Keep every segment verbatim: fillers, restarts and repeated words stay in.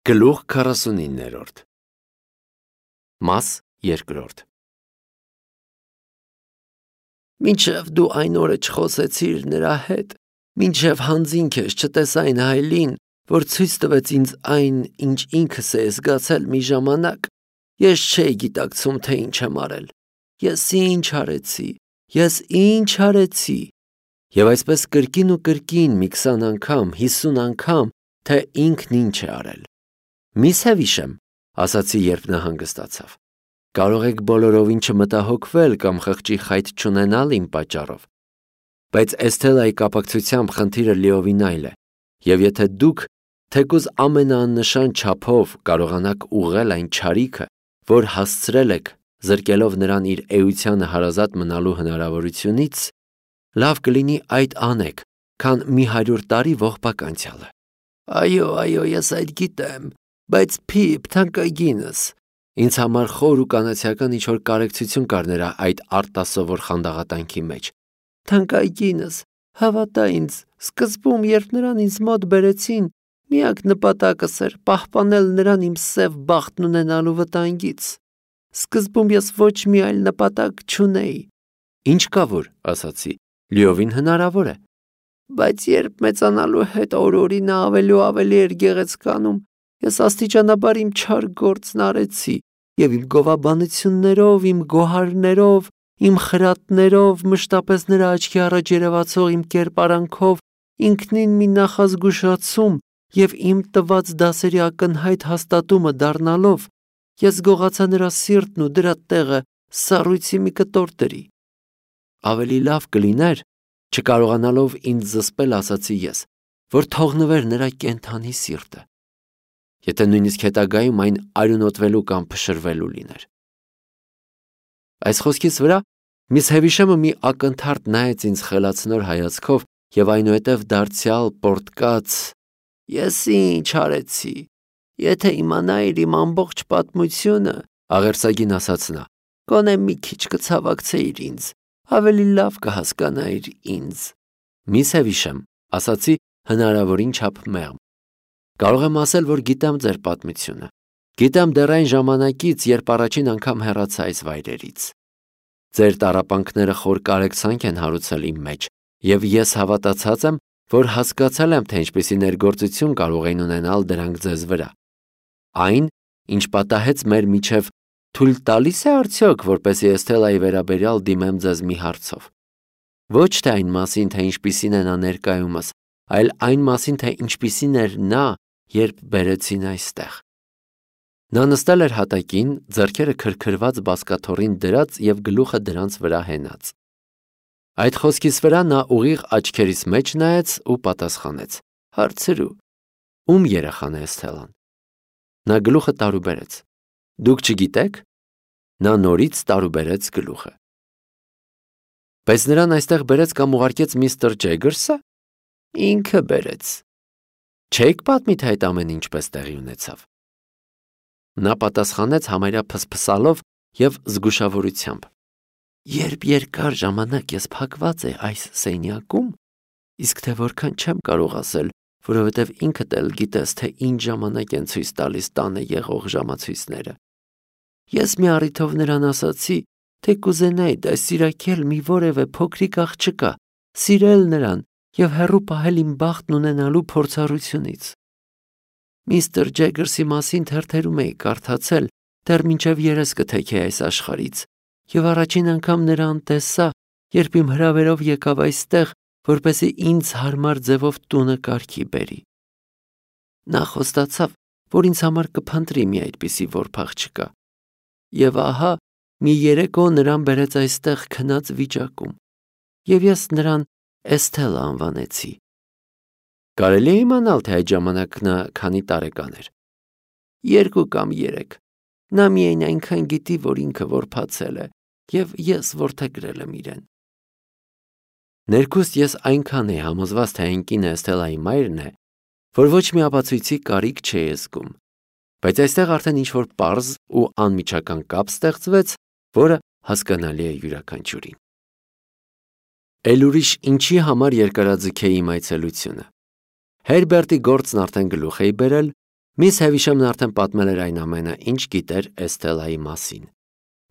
Գլուխ քառասունիններորդ Մաս երկրորդ Մինչև դու այն օրը չխոսեցիր նրա հետ, մինչև հանձին քեզ չտեսային հայլին, որ ցույց տվեց ինձ այն, ինչ ինքս էի զգացել մի ժամանակ, ես չէի գիտակցում, թե ինչ եմ արել, ես ինչ արեցի, ես ինչ արեցի, և այսպես կրկին ու կրկին մի քսան անգամ, հիսուն անգամ, թե ինքն ինչ է արել։ Մի սևիշեմ, ասացի, երբ նա հանգստացավ։ Կարող եք բոլորովին չմտահոգվել կամ խղճի խայտ չունենալ իմ պատճառով, բայց Էսթելայի կապակցությամբ խնդիրը լիովին այլ է, և եթե դուք թեկուզ ամենաաննշան չափով կարողանաք ուղղել այն չարիքը, որ հասցրել եք, զրկելով նրան իր էությանը հարազատ մնալու հնարավորությունից, լավ կլինի այդ անեք, քան մի հարյուր տարի ողբակ անցյալը։ Այո, այո, ես այդ գիտեմ, բայց Փիփ, թանկագինս, ինձ համար խոր ու կանացիական ինչ-որ կարեկցություն կար նրա այդ արտասովոր խանդաղատանքի մեջ։ Թանկագինս, հավատա ինձ, սկզբում, երբ նրան ինձ մոտ բերեցին, միակ նպատակս էր պահպանել նրան իմ սև բախտն ունենալու վտանգից։ Սկզբում ես ոչ մի այլ նպատակ չունեի։ Ինչ կա որ, ասացի, լիովին հնարավոր է։ Բայց երբ մեծանալու հետ օր-օրի նա ավելի ու ավելի էր գեղեցկանում, ես աստիճանաբար իմ չար գործն արեցի, և իմ գովաբանություններով, իմ գոհարներով, իմ խրատներով, մշտապես նրա աչքի առաջ երևացող իմ կերպարանքով, ինքնին մի նախազգուշացում և իմ տված դասերի ակնհայտ հաստատումը դառնալով, ես գողացա նրա սիրտն ու դրա տեղը սառույցի մի կտոր դրի։ Ավելի լավ կլիներ, չկարողանալով ինձ զսպել, ասացի ես, որ թողնվեր նրա կենդանի սիրտը, եթե նույնիսկ հետագայում այն արյունոտվելու կամ փշրվելու լիներ։ Այս խոսքից վրա միս Հևիշեմը մի ակնթարթ նայեց ինձ խելացնոր հայացքով և այնուհետև դարձյալ պոռթկաց. Ես ինչ արեցի, եթե իմանայիր իմ ամբողջ պատմությունը, աղերսագին ասաց նա, գոնե մի քիչ կցավակցեիր ինձ, ավելի լավ կհասկանայիր ինձ։ Միս Հևիշեմ, ասացի հնարավորին չափ մեղմ, կարող եմ ասել, որ գիտեմ ձեր պատմությունը, գիտեմ դեռ այն ժամանակից, երբ առաջին անգամ հեռացա այս վայրերից։ Ձեր տառապանքները խոր կարեկցանք են հարուցել իմ մեջ, և ես հավատացած եմ, որ հասկացել եմ, թե ինչպիսի ներգործություն կարող էին ունենալ դրանք ձեզ վրա։ Այն, ինչ պատահեց մեր միջև, թույլ տալի՞ս է արդյոք, որպեսզի Էսթելայի վերաբերյալ դիմեմ ձեզ մի հարցով։ Ոչ թե այն մասին, թե ինչպիսին է նա ներկայումս, այլ այն մասին, թե ինչպիսին էր նա, երբ բերեցին այստեղ։ Նա նստել էր հատակին, ձեռքերը քրքրված բազկաթոռին դրած և գլուխը դրանց վրա հենած։ Այդ խոսքից վրա նա ուղիղ աչքերիս մեջ նայեց ու պատասխանեց. Հարցրու, ում երեխան է Էսթելան։ Նա գլուխը տարուբերեց։ Դուք չգիտեք։ Նա նորից տարուբերեց գլուխը։ Բայց նրան այստեղ բերեց կամ ուղարկեց միստր Ջեգերսը։ Ինքը բերեց։ Չեք պատմի, թե այդ ամեն ինչպես տեղի ունեցավ։ Նա պատասխանեց համարյա փսփսալով և զգուշավորությամբ. Երբ երկար ժամանակ ես փակված էի այս սենյակում, իսկ թե որքան չեմ կարող ասել, որովհետև ինքդ էլ գիտես, թե ինչ ժամանակ են ցույց տալիս տանը եղող ժամացույցները։ Ես մի առիթով նրան ասացի, թե կուզենայի դաստիարակել մի որևէ փոքրիկ աղջկա, սիրել նրան և հեռու պահել իմ բախտն ունենալու փորձառությունից։ Միստր Ջեգերսի մասին թերթերում էի կարդացել, դեռ մինչև երես կթեքեի այս աշխարհից, և առաջին անգամ նրան տեսա, երբ իմ հրավերով եկավ այստեղ, որպեսզի ինձ հարմար ձևով տունը կարգի բերի։ Նա խոստացավ, որ ինձ համար կփնտրի մի այդպիսի որբ աղջկա, և ահա մի երեկո նրան բերեց այստեղ քնած վիճակում, և ես նրան Էսթելա անվանեցի։ Կարելի է իմանալ, թե այդ ժամանակ նա քանի տարեկան էր։ Երկու կամ երեք։ Նա միայն այնքան գիտի, որ ինքը որբացել է, և ես որդեգրել եմ իրեն։ Ներքուստ ես այնքան էի համոզված, թե այն կինը Էսթելայի մայրն է, որ ոչ մի ապացույցի կարիք չէի զգում, բայց այստեղ արդեն ինչ-որ պարզ ու անմիջական կապ ստեղծվեց, որը հասկանալի է յուրաքանչյուրին։ Էլ ուրիշ ինչի համար երկարաձգեի իմ այցելությունը։ Հերբերտի գործն արդեն գլուխ էի բերել, Միս Հևիշեմն արդեն պատմել էր այն ամենը, ինչ գիտեր Էսթելայի մասին։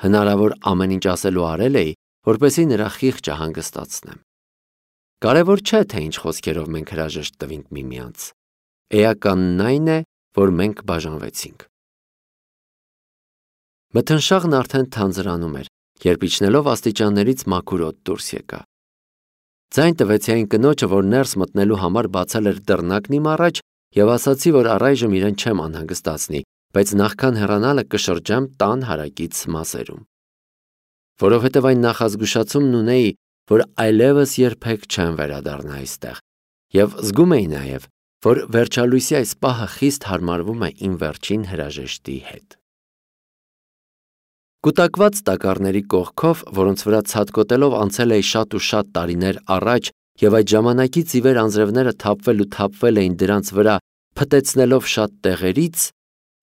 Հնարավոր ամեն ինչ ասել ու արել էի, որպեսզի նրա խիղճը հանգստացնեմ։ Կարևոր չէ, թե ինչ խոսքերով մենք հրաժեշտ տվինք միմյանց։ Էականն այն է, որ մենք բաժանվեցինք։ Մթնշաղն արդեն թանձրանում էր, երբ իջնելով աստիճաններից մաքուր օդ դուրս եկա։ Ձայն տվեցի այն կնոջը, որ ներս մտնելու համար բացել էր դռնակն իմ առաջ, եւ ասացի, որ առայժմ իրեն չեմ անհանգստացնի, բայց նախքան հեռանալը կշրջեմ տան հարակից մասերում։ Որովհետև այն նախազգուշացումն ունեի, որ այլևս երբեք չեմ վերադառնա այստեղ, եւ զգում էի նաեւ, որ վերջալույսի այս պահը խիստ հարմարվում է իմ վերջին հրաժեշտի հետ։ Կուտակված տակառների կողքով, որոնց վրա ցատկոտելով անցել էի շատ ու շատ տարիներ առաջ, եւ այդ ժամանակից ի վեր անձրևները թափվել ու թափվել էին դրանց վրա, փտեցնելով շատ տեղերից,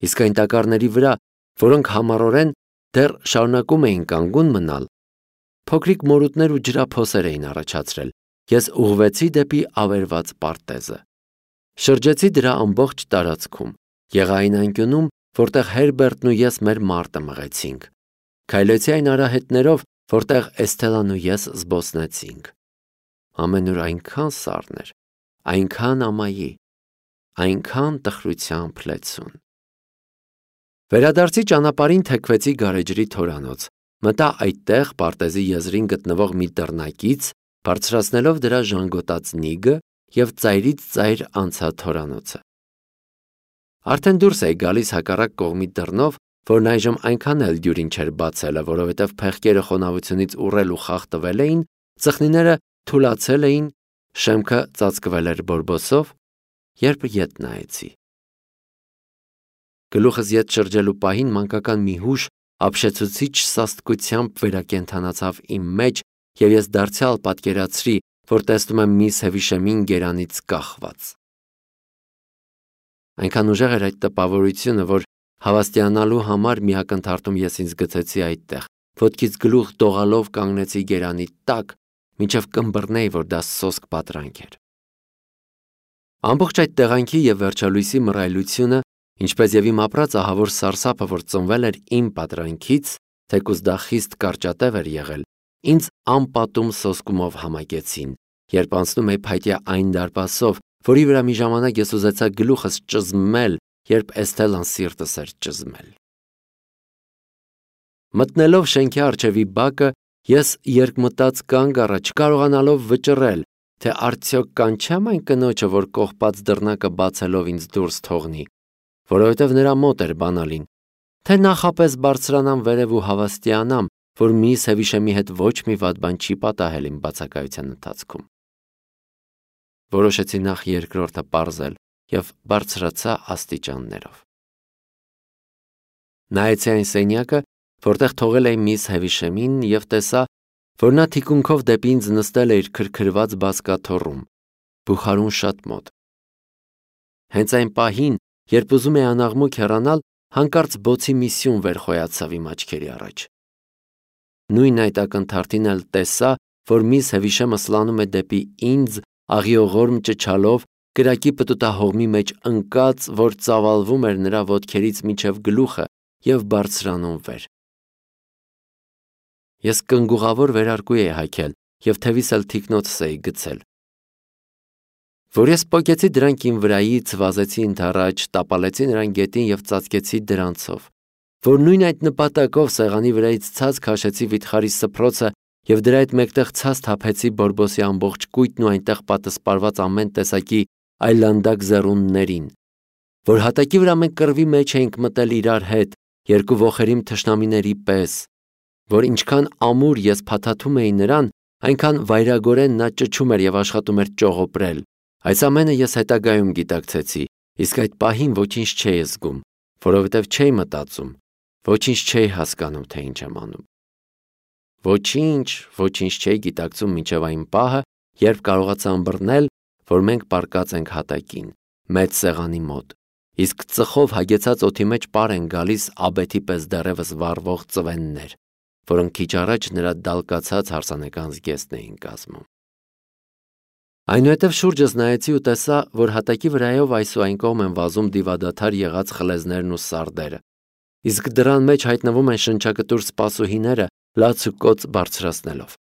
իսկ այն տակառների վրա, որոնք համառորեն դեռ շարունակում էին կանգուն մնալ, փոքրիկ մորուտներ ու ջրափոսեր էին առաջացրել, ես ուղղվեցի դեպի ավերված պարտեզը։ Շրջեցի դրա ամբողջ տարածքում, եղային անկյունում, որտեղ Հերբերտն ու ես մեր մարտը մղեցինք։ Քայլեցի այն արահետներով, որտեղ Էսթելան ու ես զբոսնեցինք։ Ամենուր այնքան սառն էր, այնքան ամայի, այնքան տխրությամբ լեցուն։ Վերադարձի ճանապարհին թեքվեցի գարեջրի թորանոց, մտա այդտեղ պարտեզի եզրին գտնվող մի դռնակից, բարձրացնելով դրա ժանգոտած նիգը եւ ծայրից ծայր անցա թորանոցը։ Արդեն դուրս էի գալիս հակառակ կողմի դռնով, որն այժմ այնքան էլ դյուրին չէր բացելը, որովհետև փեղկերը խոնավությունից ուռել ու խախտվել էին, ծխնիները թուլացել էին, շեմքը ծածկվել էր բորբոսով, երբ ետ նայեցի։ Գլուխս ետ շրջելու պահին մանկական մի հուշ ապշեցուցիչ սաստկությամբ վերակենդանացավ իմ մեջ, եւ ես դարձյալ պատկերացրի, որ տեսնում եմ միս Հևիշեմին գերանից կախված։ Այնքան ուժեղ էր այդ տպավորությունը, որ հավաստիանալու համար մի ակնթարթում ես ինձ գցեցի այդտեղ, ոտքից գլուխ դողալով կանգնեցի գերանի տակ, մինչև կմբռնեի, որ դա սոսկ պատրանք էր։ Ամբողջ այդ տեղանքի եւ վերջալույսի մռայլությունը, ինչպես եւ իմ ապրած ահավոր սարսափը, որ ծնվել էր իմ պատրանքից, թեկուզ դա խիստ կարճատև էր եղել, ինձ անպատում սոսկումով համակեցին, երբ անցնում էի փայտյա այն դարպասով, որի վրա մի ժամանակ ես ուզեցա գլուխս ճզմել, երբ Էսթելան սիրտս էր ճզմել։ Մտնելով շենքի առջևի բակը, ես երկմտած կանգ առա, չկարողանալով վճռել, թե արդյոք կանչեմ այն կնոջը, որ կողպած դռնակը բացելով ինձ դուրս թողնի, որովհետև նրա մոտ էր բանալին, թե նախապես բարձրանամ վերև ու հավաստիանամ, որ միս Հևիշեմի հետ ոչ մի վատ բան չի պատահել իմ բացակայության ընթացքում։ Որոշեցի նախ երկրորդը պարզել եւ բարձրացա աստիճաններով։ Նայեցի այն սենյակը, որտեղ թողել էի միս Հևիշեմին, եւ տեսա, որ նա թիկունքով դեպի ինձ նստել է իր քրքրված բազկաթոռում, բուխարուն շատ մոտ։ Հենց այն պահին, երբ ուզում էի անաղմուկ հեռանալ, հանկարծ բոցի մի սյուն վեր խոյացավ իմ աչքերի առաջ։ Նույն այդ ակնթարթին էլ տեսա, որ միս Հևիշեմը սլանում է դեպի ինձ, աղիողորմ ճչալով, կրակի պտուտահողմի մեջ ընկած, որ ծավալվում էր նրա ոտքերից մինչև գլուխը եւ բարձրանում վեր։ Ես կնգուղավոր վերարկու էի հագել եւ թևիս էլ թիկնոցս էի գցել։ Որ ես պոկեցի դրանք իմ վրայից, վազեցի ընդառաջ, տապալեցի նրան գետին եւ ծածկեցի դրանցով, որ նույն այդ նպատակով սեղանի վրայից ցած քաշեցի վիթխարի սփռոցը եւ դրա հետ մեկտեղ ցած թափեցի բորբոսի ամբողջ կույտն ու այնտեղ պատսպարված ամեն տեսակի այլանդակ զեռուններին, որ հատակի վրա մենք կռվի մեջ էինք մտել իրար հետ, երկու ոխերիմ թշնամիների պես, որ ինչքան ամուր ես փաթաթում էի նրան, այնքան վայրագորեն նա ճչում էր եւ աշխատում էր ճողոպրել։ Այս ամենը ես հետագայում գիտակցեցի, իսկ այդ պահին ոչինչ չէի զգում, որովհետև չէի մտածում, ոչինչ չէի հասկանում, թե ինչ եմ անում։ Ոչինչ, ոչինչ չէի գիտակցում մինչև այն պահը, երբ կարողացա ըմբռնել, որ մենք պառկած ենք հատակին, մեծ սեղանի մոտ, իսկ ծխով հագեցած օդի մեջ պար են գալիս աբեթի պես դեռևս վառվող ծվեններ, որոնք քիչ առաջ նրա դալկացած հարսանեկան զգեստն էին կազմում։ Այնուհետև շուրջս նայեցի ու տեսա, որ հատակի վրայով այս ու այն կողմ են վազում դիվադադար եղած խլեզներն ու սարդերը, իսկ դրան մեջ հայտնվում են շնչակտուր սպասուհիները լաց ու կոծ բարձրացնելով։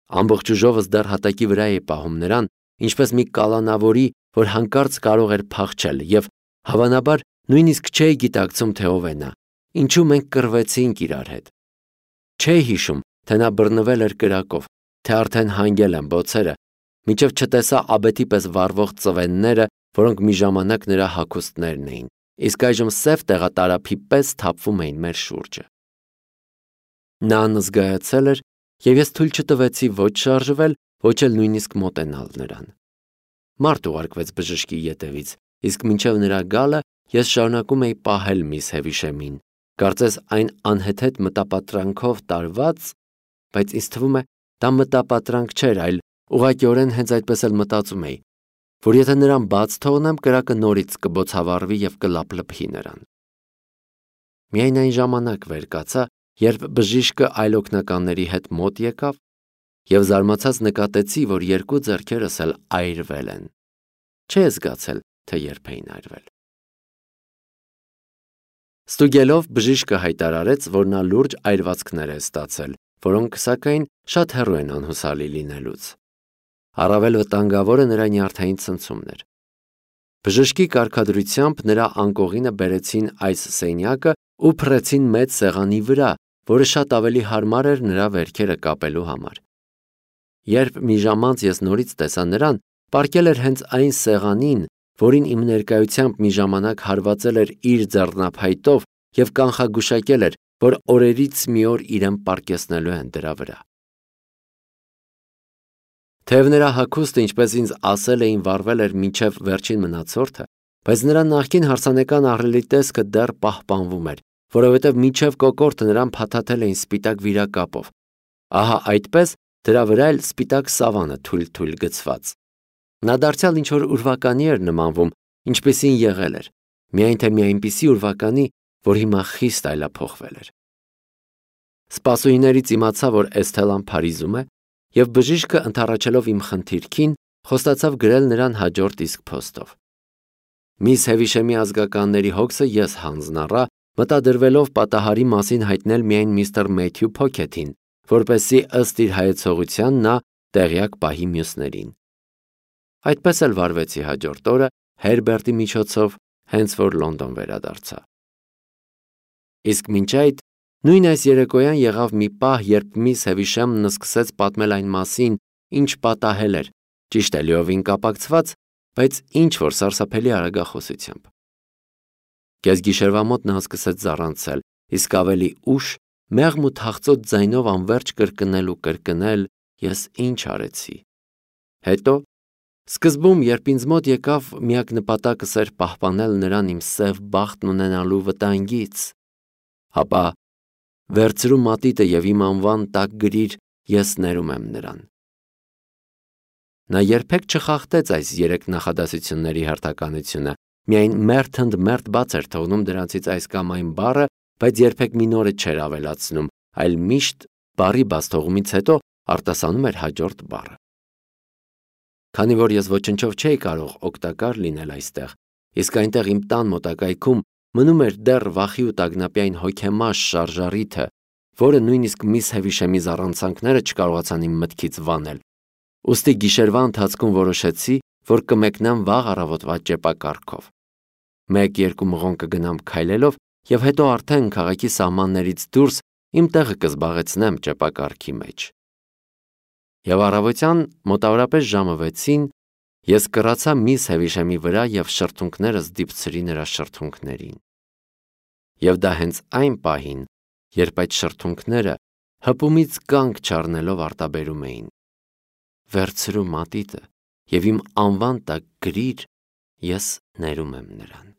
Ամբողջ ուժովս դեռ հատակի վրա էի պահում նրան, ինչպես մի կալանավորի, որ հանկարծ կարող էր փախչել, եւ հավանաբար նույնիսկ չէի գիտակցում, թե ով է նա, ինչու մենք կռվեցինք իրար հետ։ Չէի հիշում, թե նա բռնվել էր կրակով, թե արդեն հանգել են բոցերը, մինչև չտեսա աբեթի պես վառվող ծվենները, որոնք մի ժամանակ նրա հագուստներն էին, իսկ այժմ սև տեղատարափի պես թափվում էին մեր շուրջը։ Նա անզգայացել էր, եւ ես թույլ չտվեցի ոչ շարժվել, ոչ էլ նույնիսկ մոտենալ նրան։ Մարդ ուղարկվեց բժշկի ետևից, իսկ մինչև նրա գալը ես շարունակում էի պահել միս Հևիշեմին, կարծես այն անհեթեթ մտապատրանքով տարված, բայց ինձ թվում է, դա մտապատրանք չէր, այլ ուղղակիորեն հենց այդպես էլ մտածում էի, որ եթե նրան բաց թողնեմ, կրակը նորից կբոցավառվի եւ կլափլփի նրան։ Միայն այն ժամանակ վեր կացա, երբ բժիշկը այլ օգնականների հետ մոտ եկավ, եւ զարմացած նկատեցի, որ երկու ձեռքերս էլ այրվել են։ Չէի զգացել, թե երբ էին այրվել։ Ստուգելով բժիշկը հայտարարեց, որ նա լուրջ այրվածքներ է ստացել, որոնք սակայն շատ հեռու են անհուսալի լինելուց։ Առավել վտանգավորը նրա նյարդային ցնցումն էր։ Բժշկի կարգադրությամբ նրա անկողինը բերեցին այս սենյակը ու փռեցին մեծ սեղանի վրա, որը շատ ավելի հարմար էր նրա վերքերը կապելու համար։ Երբ մի ժամ անց ես նորից տեսա նրան, պառկել էր հենց այն սեղանին, որին իմ ներկայությամբ մի ժամանակ հարվածել էր իր ձեռնափայտով եւ կանխագուշակել էր, որ օրերից մի օր իրեն պառկեցնելու են դրա վրա։ Թեև նրա հագուստը, ինչպես ինձ ասել էին, վառվել էր մինչև վերջին մնացորդը, բայց նրա նախկին հարսանեկան ահռելի տեսքը դեռ պահպանվում էր, որովհետև մինչև կոկորդը նրան փաթաթել էին սպիտակ վիրակապով։ Ահա այդպես դրա վրա էլ սպիտակ սավանը թույլ-թույլ գցված։ Նա դարձյալ ինչ-որ ուրվականի էր նմանվում, ինչպեսին եղել էր, միայն թե մի այնպիսի ուրվականի, որ հիմա խիստ այլափոխվել էր։ Սպասուհիներից իմացա, որ Էսթելան Փարիզում է, եւ բժիշկը ընդառաջելով իմ խնդիրքին, խոստացավ գրել նրան հաջորդ իսկ փոստով։ Միս Հևիշեմի ազգականների հոգսը ես հանձնառա, մտադրվելով պատահարի մասին հայտնել միայն միստր Մեթյու Փոքեթին, որպեսզի ըստ իր հայեցողության նա տեղյակ պահի մյուսներին։ Այդպես էլ վարվեցի հաջորդ օրը Հերբերտի միջոցով, հենց որ Լոնդոն վերադարձա։ Իսկ մինչ այդ նույն այս երեկոյան եղավ մի պահ, երբ միս Հևիշեմն սկսեց պատմել այն մասին, ինչ պատահել էր, ճիշտ է լիովին կապակցված, բայց ինչ որ սարսափելի արագախոսությամբ։ Կեսգիշերվա մոտ նա սկսեց զառանցել, իսկ ավելի ուշ մեղմ ու թախծոտ ձայնով անverջ կրկնել ու կրկնել. «Ես ինչ արեցի»։ Հետո, սկզբում, երբ ինձ մոտ եկավ, միակ նպատակս էր պահպանել նրան իմ սև բախտն ունենալու վտանգից, ապա վերցրու մատիտը եւ իմ անվան տակ գրիր «Ես ներում եմ նրան»։ Նա երբեք չխախտեց այս երեք նախադասությունների հերթականությունը, միայն մերթ ընդ մերթ բաց էր թողնում դրանցից այս կամ այն բառը, բայց երբեք մի նորը չէր ավելացնում, այլ միշտ բառի բաց թողումից հետո արտասանում էր հաջորդ բառը։ Քանի որ ես ոչնչով չէի կարող օգտակար լինել այստեղ, իսկ այնտեղ իմ տան մոտակայքում մնում էր դեռ վախի ու տագնապյայն հոգեմաշ շարժառիթը, որը նույնիսկ միս Հևիշեմի զառանցանքները չկարողացան իմ մտքից վանել, ուստի գիշերվա ընթացքում որոշեցի, որ կմեկնեմ վաղ առավոտվա ճեպակառքով։ Մեկ-երկու մղոն կգնամ քայլելով եւ հետո արդեն քաղաքի սահմաններից դուրս իմ տեղը կզբաղեցնեմ ճեպակառքի մեջ։ Եվ առավոտյան մոտավորապես ժամը վեցին ես կռացա միս Հևիշեմի վրա եւ շրթունքներս դիպցրի նրա շրթունքներին։ Եվ դա հենց այն պահին, երբ այդ շրթունքները հպումից կանգ չառնելով արտաբերում էին. «Վերցրու մատիտը եւ իմ անվան տակ գրիր, ես ներում եմ նրան»։